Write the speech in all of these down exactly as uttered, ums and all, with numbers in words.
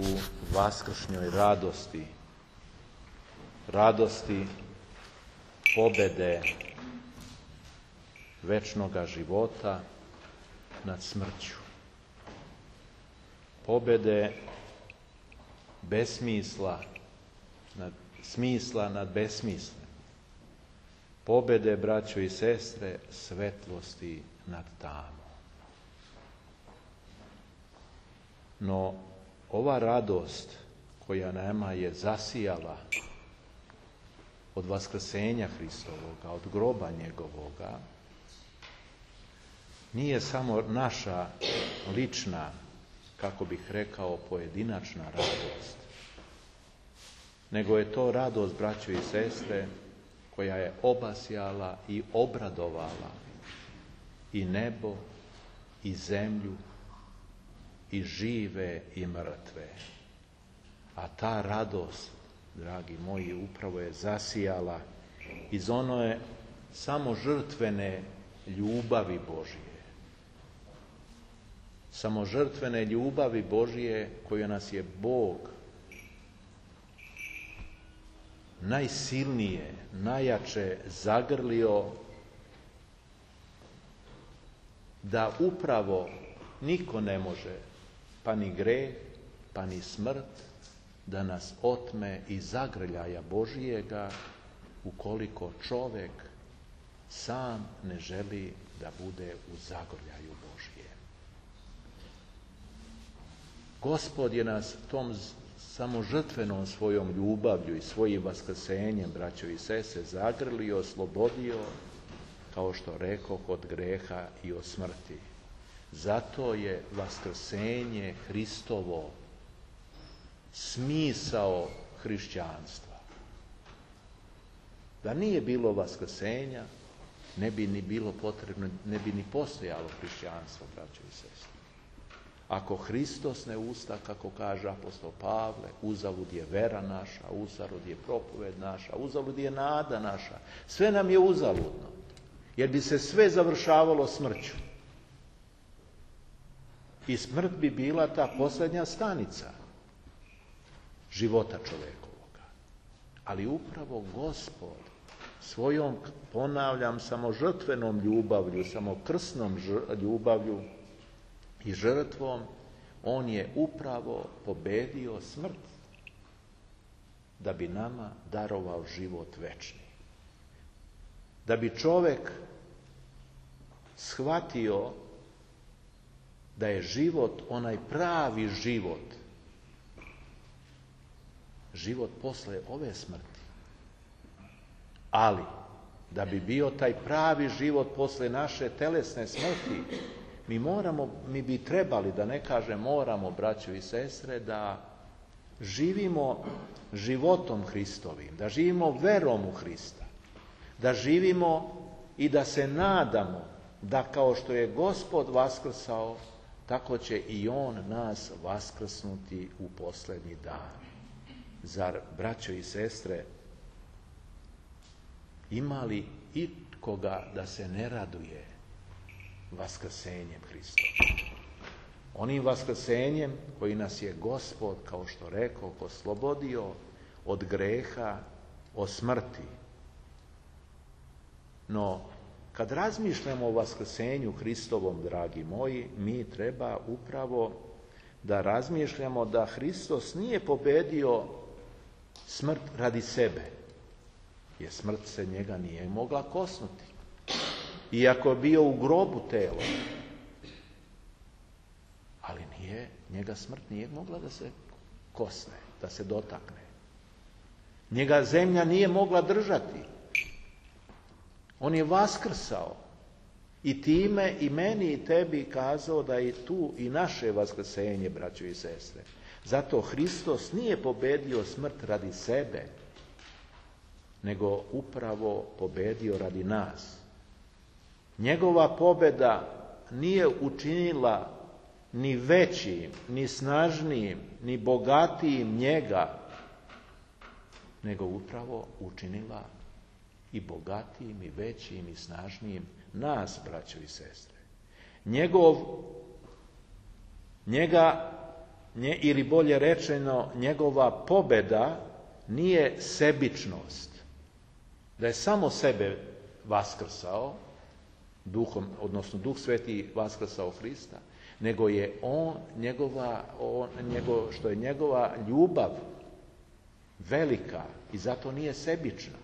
u vaskršnjoj radosti, radosti pobede večnoga života nad smrću, pobede besmisla nad smisla nad besmislem, pobede, braćo i sestre, svetlosti nad tamom. No, ova radost koja nama je zasijala od vaskrsenja Hristovoga, od groba njegovoga, nije samo naša lična, kako bih rekao, pojedinačna radost, nego je to radost, braćo i sestre, koja je obasjala i obradovala i nebo, i zemlju, i žive i mrtve. A ta radost, dragi moji, upravo je zasijala iz one samo žrtvene ljubavi Božije. Samo žrtvene ljubavi Božije koju nas je Bog najsilnije, najjače zagrlio, da upravo niko ne može, pa ni greh, pa ni smrt, da nas otme iz zagrljaja Božijega, ukoliko čovjek sam ne želi da bude u zagrljaju Božije. Gospod je nas tom samo žrtvenom svojom ljubavlju i svojim vaskrsenjem, braćo i sestre, zagrlio, oslobodio, kao što rekoh, od greha i od smrti. Zato je vaskrsenje Hristovo smisao hrišćanstva. Da nije bilo vaskrsenja, ne bi ni bilo potrebno, ne bi ni postojalo hrišćanstvo, braćo i sestre. Ako Hristos ne usta, kako kaže apostol Pavle, uzalud je vera naša, uzalud je propoved naša, uzalud je nada naša. Sve nam je uzaludno, jer bi se sve završavalo smrću. I smrt bi bila ta posljednja stanica života čovjekovoga. Ali upravo Gospod svojom, ponavljam, samo žrtvenom ljubavlju, samo krsnom ljubavlju i žrtvom, on je upravo pobedio smrt da bi nama darovao život večni. Da bi čovjek shvatio da je život onaj pravi život, život posle ove smrti. Ali, da bi bio taj pravi život posle naše telesne smrti, mi moramo, mi bi trebali, da ne kažem moramo, braćo i sestre, da živimo životom Hristovim, da živimo verom u Hrista, da živimo i da se nadamo da kao što je Gospod vaskrsao, tako će i On nas vaskrsnuti u posljednji dan. Zar, braćo i sestre, ima li ikoga da se ne raduje vaskrsenjem Hristovim? Onim vaskrsenjem koji nas je Gospod, kao što rekao, oslobodio od greha, od smrti. No, kad razmišljamo o vaskrsenju Hristovom, dragi moji, mi treba upravo da razmišljamo da Hristos nije pobedio smrt radi sebe, jer smrt se njega nije mogla kosnuti. Iako je bio u grobu telo, ali nije, njega smrt nije mogla da se kosne, da se dotakne. Njega zemlja nije mogla držati. On je vaskrsao i time i meni i tebi kazao da je tu i naše vaskrsenje, braćo i sestre. Zato Hristos nije pobedio smrt radi sebe, nego upravo pobedio radi nas. Njegova pobjeda nije učinila ni većim, ni snažnijim, ni bogatijim njega, nego upravo učinila i bogatijim, i većim, i snažnijim nas, braćo i sestre. Njegov, njega nje, ili bolje rečeno, njegova pobjeda nije sebičnost. Da je samo sebe vaskrsao, duhom, odnosno Duh Sveti vaskrsao Hrista, nego je on, njegova, on, njegov, što je njegova ljubav velika i zato nije sebična.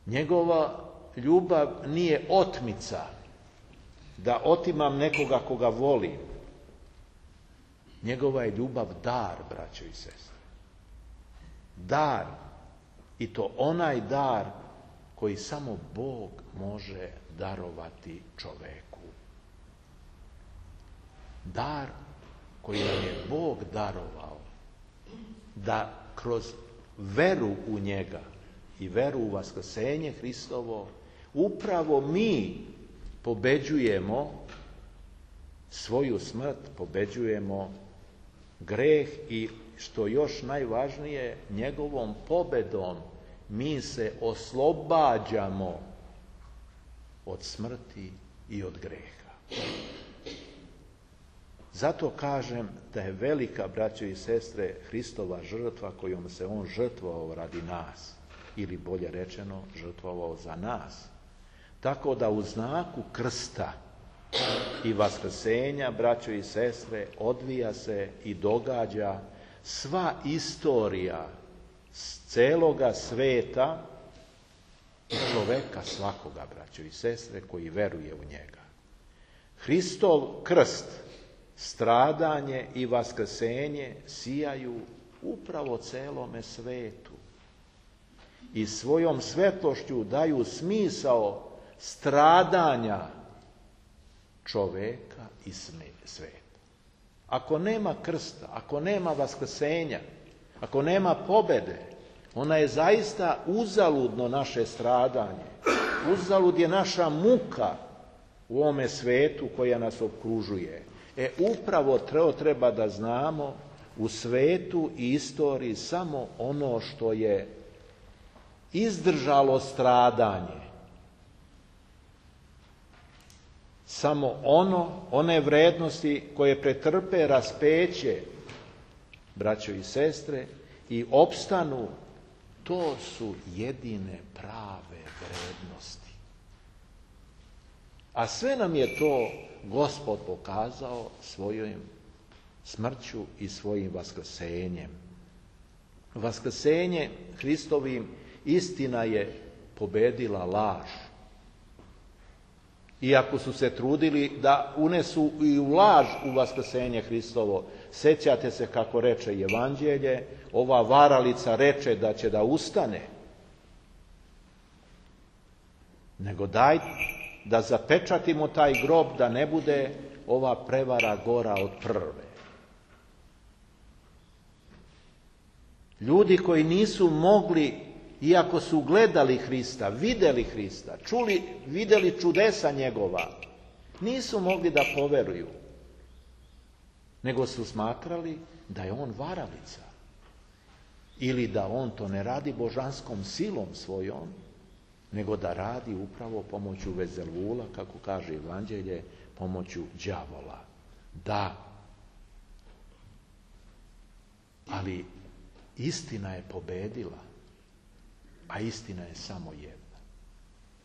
Njegova ljubav nije otmica, da otimam nekoga koga volim. Njegova je ljubav dar, braćo i sestre. Dar. I to onaj dar koji samo Bog može darovati čoveku. Dar koji nam je Bog darovao da kroz veru u njega i veru u vaskrsenje Hristovo upravo mi pobeđujemo svoju smrt, pobeđujemo greh i što još najvažnije, njegovom pobedom mi se oslobađamo od smrti i od greha. Zato kažem da je velika, braćo i sestre, Hristova žrtva kojom se on žrtvovao radi nas, ili bolje rečeno, žrtvovao za nas. Tako da u znaku krsta i vaskrsenja, braćo i sestre, odvija se i događa sva istorija celoga sveta i čoveka svakoga, braćo i sestre, koji veruje u njega. Hristov krst, stradanje i vaskrsenje sijaju upravo celome svetu i svojom svetlošću daju smisao stradanja čoveka i sveta. Ako nema krsta, ako nema vaskrsenja, ako nema pobede, ona je zaista uzaludno naše stradanje. Uzalud je naša muka u ovome svetu koja nas okružuje. E upravo treba da znamo u svetu i istoriji samo ono što je izdržalo stradanje. Samo ono, one vrednosti koje pretrpe raspeće, braćo i sestre, i opstanu, to su jedine prave vrednosti. A sve nam je to Gospod pokazao svojom smrću i svojim vaskrsenjem. Vaskrsenje Hristovim, istina je pobedila laž. Iako su se trudili da unesu i u laž u vaskrsenje Hristovo, sećate se kako reče Evanđelje, ova varalica reče da će da ustane, nego daj da zapečatimo taj grob da ne bude ova prevara gora od prve. Ljudi koji nisu mogli, iako su gledali Hrista, vidjeli Hrista, čuli, vidjeli čudesa njegova, nisu mogli da poveruju, nego su smatrali da je on varalica ili da on to ne radi božanskom silom svojom, nego da radi upravo pomoću Vezelvula, kako kaže Evanđelje, pomoću đavola. Da, ali istina je pobedila, a istina je samo jedna.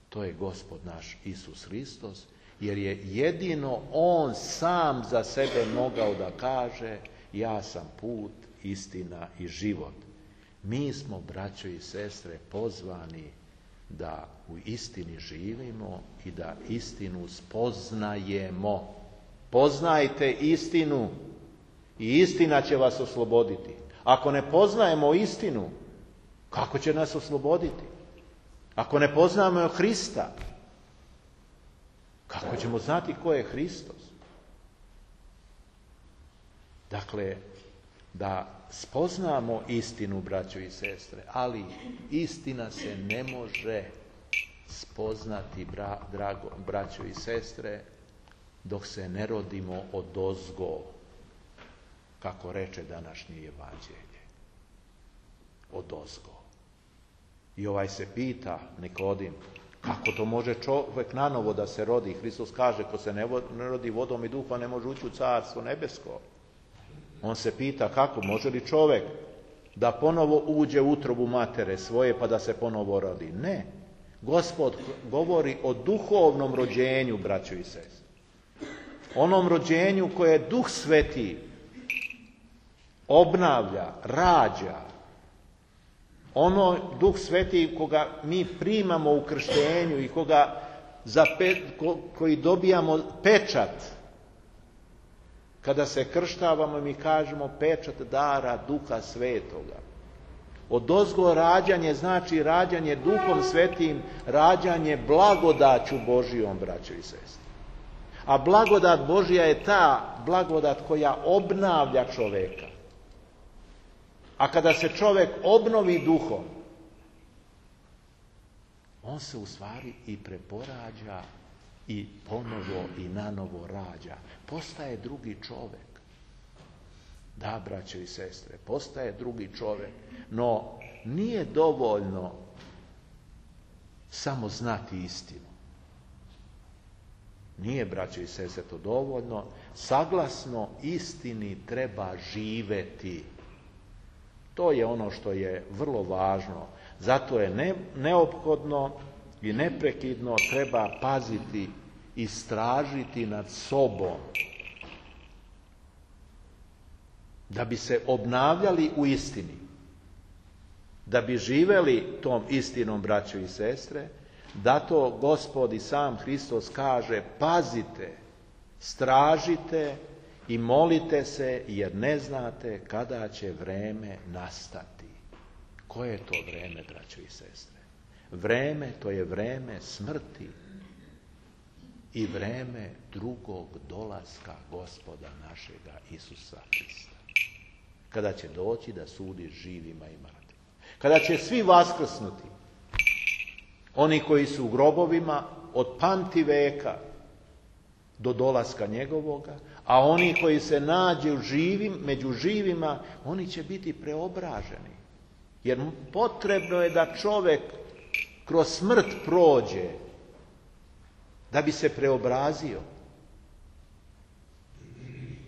To je Gospod naš Isus Hristos, jer je jedino on sam za sebe mogao da kaže ja sam put, istina i život. Mi smo, braćo i sestre, pozvani da u istini živimo i da istinu spoznajemo. Poznajte istinu i istina će vas osloboditi. Ako ne poznajemo istinu, kako će nas osloboditi? Ako ne poznajemo Hrista, kako ćemo znati ko je Hristos? Dakle, da spoznamo istinu, braćo i sestre, ali istina se ne može spoznati, bra, drago, braćo i sestre, dok se ne rodimo odozgo, kako reče današnje Evanđelje. Odozgo. I ovaj se pita, Nikodim, Kako to može čovjek nanovo da se rodi? Hristos kaže, ko se ne rodi vodom i duhom ne može ući u carstvo nebesko. On se pita kako, može li čovjek da ponovo uđe u utrobu matere svoje pa da se ponovo rodi? Ne. Gospod govori o duhovnom rođenju, braćo i sestre. Onom rođenju koje Duh Sveti obnavlja, rađa. Ono Duh Sveti koga mi primamo u krštenju i koga za pe, ko, koji dobijamo pečat. Kada se krštavamo mi kažemo pečat dara Duha Svetoga. Odozgo rađanje znači rađanje Duhom Svetim, rađanje blagodaću Božijom, braćo i sestre. A blagodat Božija je ta blagodat koja obnavlja čoveka. A kada se čovjek obnovi duhom, on se u stvari i preporađa i ponovo i nanovo rađa. Postaje drugi čovjek. Da, braćo i sestre, postaje drugi čovjek. No, nije dovoljno samo znati istinu. Nije, braćo i sestre, to dovoljno. Saglasno istini treba živeti. To je ono što je vrlo važno. Zato je ne, neophodno i neprekidno treba paziti, istražiti nad sobom. Da bi se obnavljali u istini. Da bi živeli tom istinom, braćo i sestre. Zato Gospod i sam Hristos kaže, pazite, stražite i molite se, jer ne znate kada će vreme nastati. Koje je to vreme, braćo i sestre? Vreme, to je vreme smrti i vreme drugog dolaska Gospoda našega Isusa Hrista. Kada će doći da sudi živima i mrtvima. Kada će svi vaskrsnuti. Oni koji su u grobovima od pamti veka do dolaska njegovoga, a oni koji se nađu živim, među živima, oni će biti preobraženi. Jer potrebno je da čovjek kroz smrt prođe, da bi se preobrazio.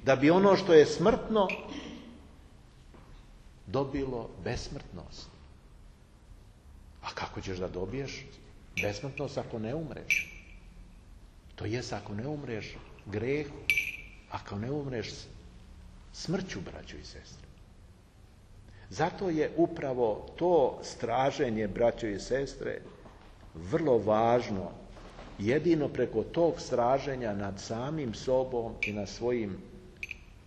Da bi ono što je smrtno dobilo besmrtnost. A kako ćeš da dobiješ besmrtnost ako ne umreš? To jest ako ne umreš grehu, ako ne umreš smrću, braćo i sestre. Zato je upravo to straženje, braćo i sestre, vrlo važno. Jedino preko tog straženja nad samim sobom i nad svojim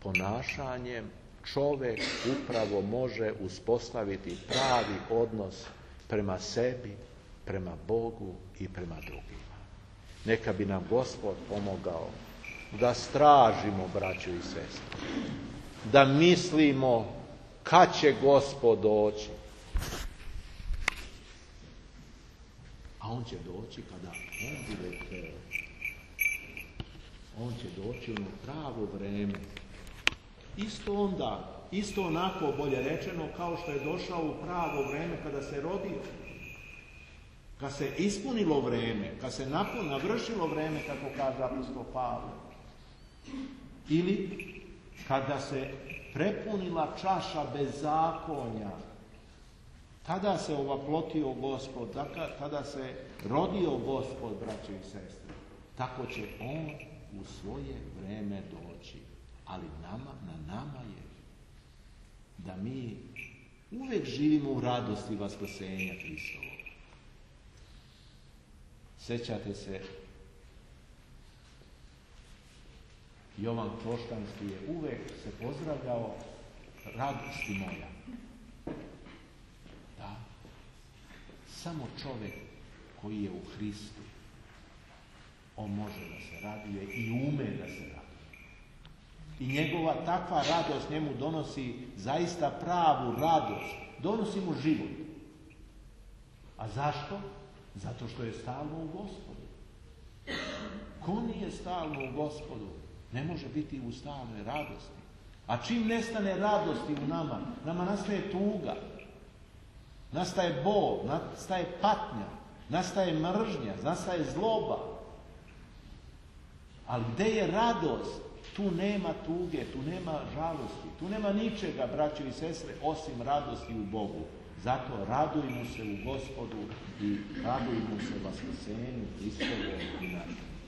ponašanjem čovjek upravo može uspostaviti pravi odnos prema sebi, prema Bogu i prema drugima. Neka bi nam Gospod pomogao da stražimo, braćo i sestre, da mislimo kad će Gospod doći. A on će doći kada on bude hteo. On će doći u pravo vreme. Isto onda, isto onako bolje rečeno kao što je došao u pravo vreme kada se rodio. Kad se ispunilo vreme, kad se navršilo vreme, kako kaže apostol Pavle. Ili kada se prepunila čaša bezakonja, tada se ovaplotio Gospod, tada se rodio Gospod, braćo i sestre. Tako će on u svoje vreme doći. Ali nama, na nama je da mi uvijek živimo u radosti vaskrsenja Hristovog. Sjećate se, Jovan Kloštanski je uvijek se pozdravljao radosti moja. Da, samo čovjek koji je u Hristu, on može da se raduje i ume da se raduje. I njegova takva radost njemu donosi zaista pravu radost. Donosi mu život. A zašto? Zato što je stalno u Gospodu. Ko nije stalno u Gospodu, ne može biti u stalnoj radosti. A čim nestane radosti u nama, nama nastaje tuga. Nastaje bol, nastaje patnja. nastaje mržnja, nastaje zloba. Ali gdje je radost? Tu nema tuge, tu nema žalosti, tu nema ničega, braćo i sestre, osim radosti u Bogu. Zato radujmo se u Gospodu i radujmo se vaskrsenju Hristovom i našem.